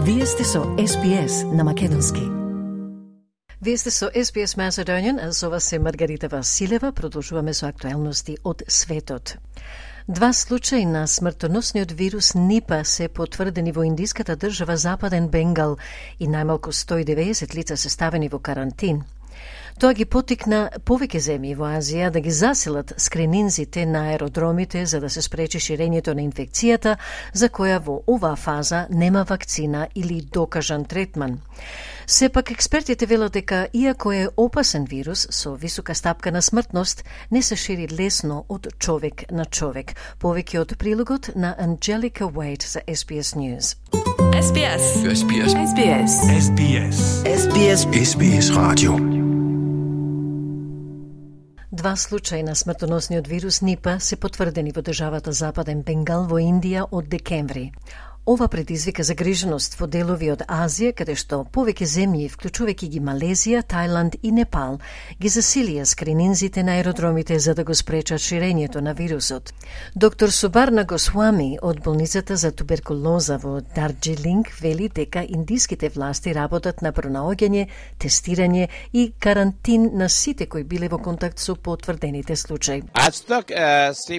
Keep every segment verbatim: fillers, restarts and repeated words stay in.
Вие сте со Ес Би Ес на македонски. Вие сте со Ес Би Ес Macedonian, а со вас е Маргарита Василева. Продолжуваме со актуелности од светот. Два случаи на смртоносниот вирус Нипа се потврдени во индиската држава Западен Бенгал и најмалку сто и деветдесет лица се ставени во карантин. Тоа ги потикна повеќе земји во Азија да ги заселат скрининзите на аеродромите за да се спречи ширењето на инфекцијата, за која во оваа фаза нема вакцина или докажан третман. Сепак, експертите велат дека, иако е опасен вирус со висока стапка на смртност, не се шири лесно од човек на човек. Повеќе од прилогот на Анджелика Уейт за Ес Би Ес News. Ес Би Ес. Ес Би Ес. Ес Би Ес. Ес Би Ес. Ес Би Ес. Ес Би Ес Radio. Два случаи на смртоносниот вирус Нипа се потврдени во државата Западен Бенгал во Индија од декември. Ова предизвика загриженост во делови од Азија, каде што повеќе земји, вклучувајќи ги Малезија, Тајланд и Непал, ги засилија скрининзите на аеродромите за да го спречат ширењето на вирусот. Доктор Субарна Госвами од болницата за туберкулоза во Дарджилинг вели дека индиските власти работат на пронаоѓање, тестирање и карантин на сите кои биле во контакт со потврдените случаи.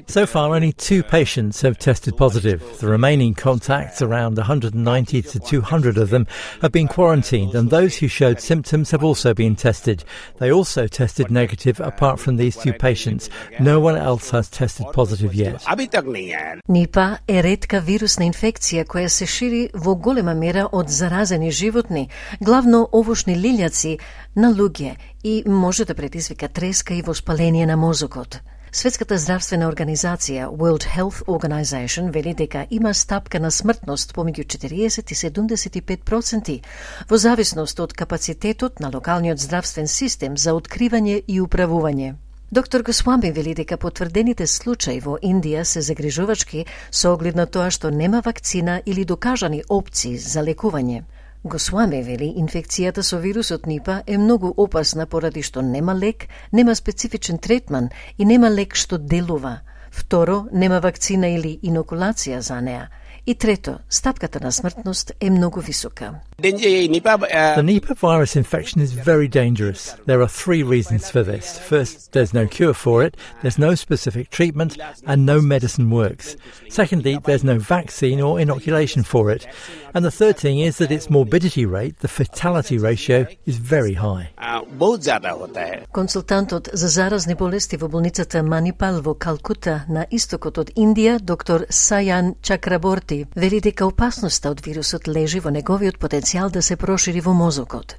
So far, only two patients have tested positive. The remaining contacts, around one hundred ninety to two hundred of them, have been quarantined, and those who showed symptoms have also been tested. They also tested negative apart from these two patients. No one else has tested positive yet. Нипа е ретка вирусна инфекција која се шири во голема мера од заразени животни, главно овошни лилјаци на луѓе, и може да предизвика треска и воспаление на мозокот. Светската здравствена организација World Health Organization вели дека има стапка на смртност помеѓу четириесет и седумдесет и пет проценти во зависност од капацитетот на локалниот здравствен систем за откривање и управување. Доктор Госвами вели дека потврдените случаи во Индија се загрижувачки со оглед на тоа што нема вакцина или докажани опции за лекување. Госвами вели инфекцијата со вирусот Нипа е многу опасна поради што нема лек, нема специфичен третман и нема лек што делува. Второ, нема вакцина или инокулација за неа. И трето, стапката на смртност е многу висока. The Nipah virus infection is very dangerous. There are three reasons for this. First, there's no cure for it, there's no specific treatment, and no medicine works. Secondly, there's no vaccine or inoculation for it. And the third thing is that its morbidity rate, the fatality ratio, is very high. Консултантот за заразни болести во болницата Манипал во Калкута на истокот од Индија, доктор Сајан Чакраборти, вели дека опасноста од вирусот лежи во неговиот потенцијал да се прошири во мозокот.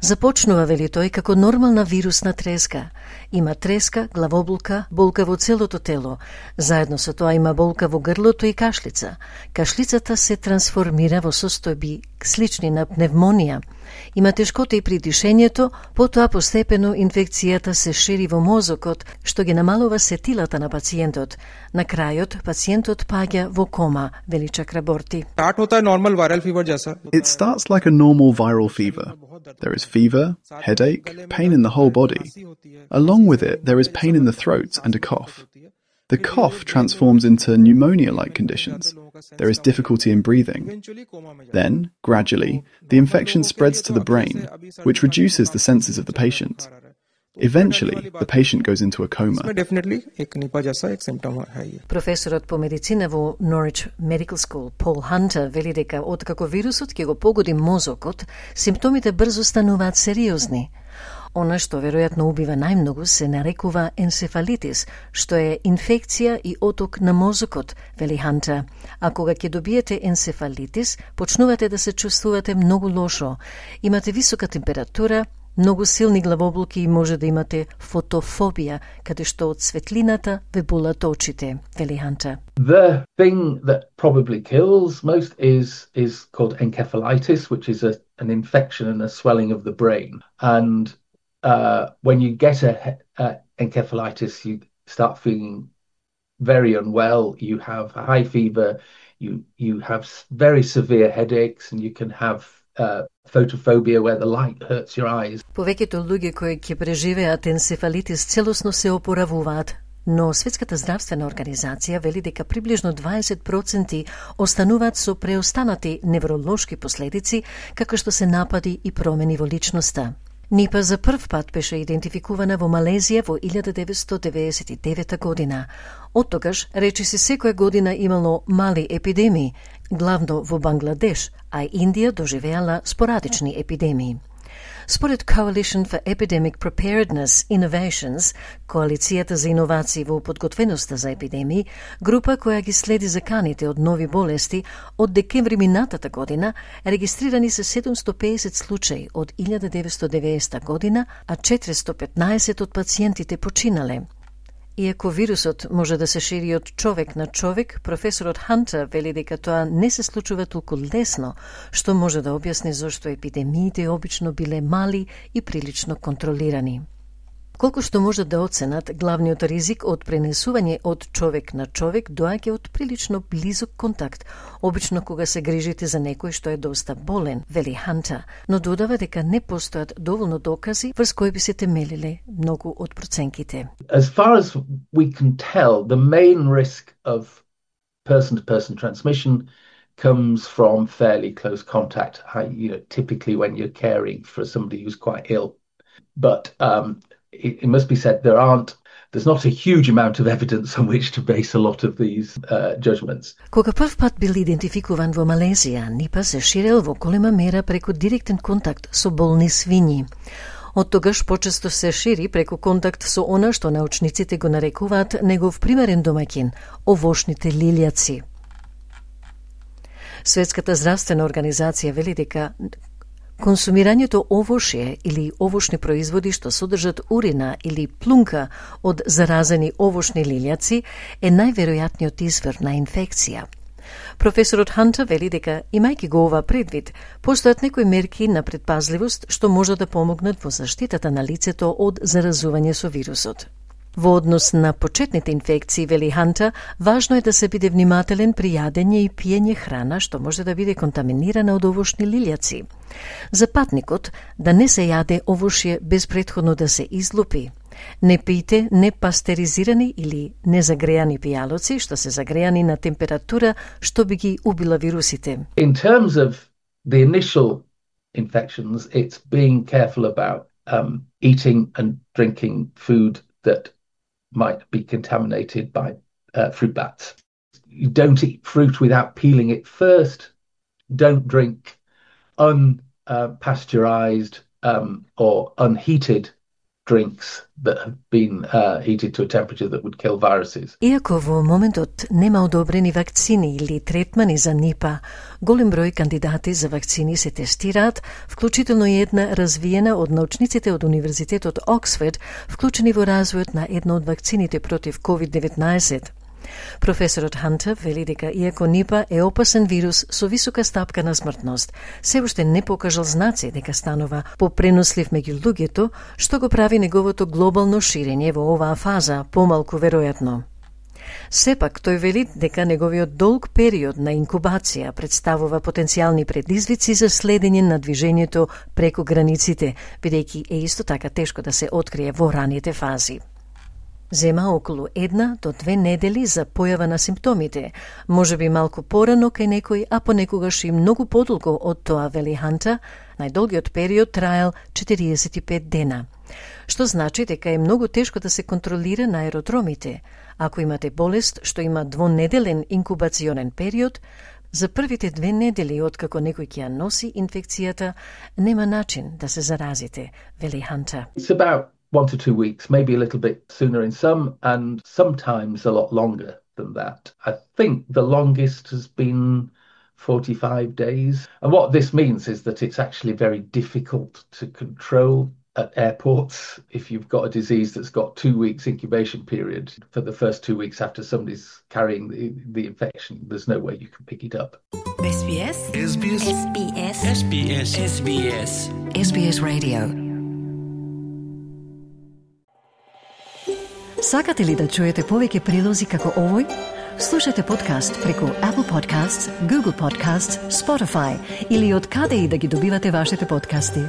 Започнува, вели тој, како нормална вирусна треска. Има треска, главоболка, болка во целото тело. Заедно со тоа има болка во грлото и кашлица. Кашлицата се трансформира во состојби слични на пневмонија. Има тешкоти и при дишењето, потоа постепено инфекцијата се шири во мозокот, што ги намалува сетилата на пациентот. На крајот, пациентот паѓа во кома, вели Чакраборти. It starts like a normal viral fever. There is fever, headache, pain in the whole body. Along with it, there is pain in the throat and a cough. The cough transforms into pneumonia-like conditions. There is difficulty in breathing. Then, gradually, the infection spreads to the brain, which reduces the senses of the patient. Eventually, the patient goes into a coma. Професорот по медицина во Norwich Medical School, Пол Хантер, вели дека откако вирусот ќе го погоди мозокот, симптомите брзо стануваат сериозни. Она што веројатно убива најмногу се нарекува енцефалитис, што е инфекција и оток на мозокот, вели Хантер. А кога ќе добиете енцефалитис, почнувате да се чувствувате многу лошо. Имате висока температура, многу силни главоболки и може да имате фотофобија, каде што од светлината ве болат очите, вели Хантер. The thing that probably kills most is is called encephalitis, which is a, an infection and a swelling of the brain. And uh, when you get a, a encephalitis, you start feeling very unwell. You have a high fever. You you have very severe headaches, and you can have uh, photophobia where the light hurts your eyes. Повеќето луѓе кои ќе преживеат енцефалитис целосно се опоравуваат. но Светската здравствена организација вели дека приближно дваесет проценти остануваат со преостанати невролошки последици, како што се напади и промени во личноста. Нипа за прв пат беше идентификувана во Малезија во илјада деветстотини деведесет и девета година. Од тогаш, речиси секоја година имало мали епидемии, главно во Бангладеш, а Индија доживеала спорадични епидемии. Според Coalition for Epidemic Preparedness Innovations, Коалицијата за иновации во подготвеноста за епидемии, група која ги следи заканите од нови болести, од декември минатата година регистрирани се седумстотини и педесет случаи од илјада деветстотини и деветдесета година, а четиристотини и петнаесет од пациентите починале. Иако вирусот може да се шири од човек на човек, професорот Хантер вели дека тоа не се случува толку лесно, што може да објасни зошто епидемиите обично биле мали и прилично контролирани. Колку што може да оценат, главниот ризик од пренесување од човек на човек доаѓа од прилично близок контакт, обично кога се грижите за некој што е доста болен, вели Ханта, но додава дека не постојат доволно докази врз кои би се темелиле многу од проценките. As far as we can tell, the main risk of person-to-person transmission comes from fairly close contact, you know, typically when you're caring for somebody who's quite ill. But um, it, it must be said there aren't There's not a huge amount of evidence on which to base a lot of these uh, judgments. Кога прв пат бил идентификуван во Малезија, Нипа се ширел во голема мера преку директен контакт со болни свињи. Од тогаш почесто се шири преку контакт со она што научниците го нарекуваат негов примерен домаќин – овошните лилјаци. Светската здравствена организација вели дека консумирањето овошје или овошни производи што содржат урина или плунка од заразени овошни лилјаци е најверојатниот извор на инфекција. Професорот Ханта вели дека, имајќи го ова предвид, постојат некои мерки на предпазливост што може да помогнат во заштитата на лицето од заразување со вирусот. Во однос на почетните инфекции, вели Ханта, важно е да се биде внимателен при јадење и пиење храна што може да биде контаминирана од овошни лилјаци. За патникот, да не се јаде овошје без претходно да се излупи. Не пијте непастеризирани или незагреани пијалоци што се загреани на температура што би ги убила вирусите. In terms of the initial infections, it's being careful about um, eating and drinking food that might be contaminated by uh, fruit bats. You don't eat fruit without peeling it first. Don't drink unpasteurized uh, um, or unheated drinks that have been uh, heated to a temperature that would kill viruses. Иако во моментот нема одобрени вакцини или третмани за Нипа, голем број кандидати за вакцини се тестираат, вклучително и една развиена од научниците од Универзитетот Оксфорд, вклучени во развојот на една од вакцините против ковид деветнаесет. Професорот Ханта вели дека иако Нипа е опасен вирус со висока стапка на смртност, се уште не покажал знаци дека станува попренослив меѓу луѓето, што го прави неговото глобално ширење во оваа фаза помалку веројатно. Сепак, тој вели дека неговиот долг период на инкубација представува потенцијални предизвици за следење на движењето преку границите, бидејќи е исто така тешко да се открие во раните фази. Зема околу една до две недели за појава на симптомите, може би малку порано кај некој, а понекогаш и многу подолго од тоа, вели Ханта, најдолгиот период траел четириесет и пет дена. Што значи дека е многу тешко да се контролира на аеродромите. Ако имате болест што има двонеделен инкубационен период, за првите две недели откако некој ќе ја носи инфекцијата, нема начин да се заразите, вели Ханта. It's about one to two weeks, maybe a little bit sooner in some, and sometimes a lot longer than that. I think the longest has been forty-five days. And what this means is that it's actually very difficult to control at airports if you've got a disease that's got two weeks incubation period. For the first two weeks after somebody's carrying the, the infection, there's no way you can pick it up. S B S S B S S B S S B S S B S S B S Radio. Сакате ли да чуете повеќе прилози како овој? Слушате подкаст преку Apple Podcasts, Google Podcasts, Spotify или од каде и да ги добивате вашите подкасти.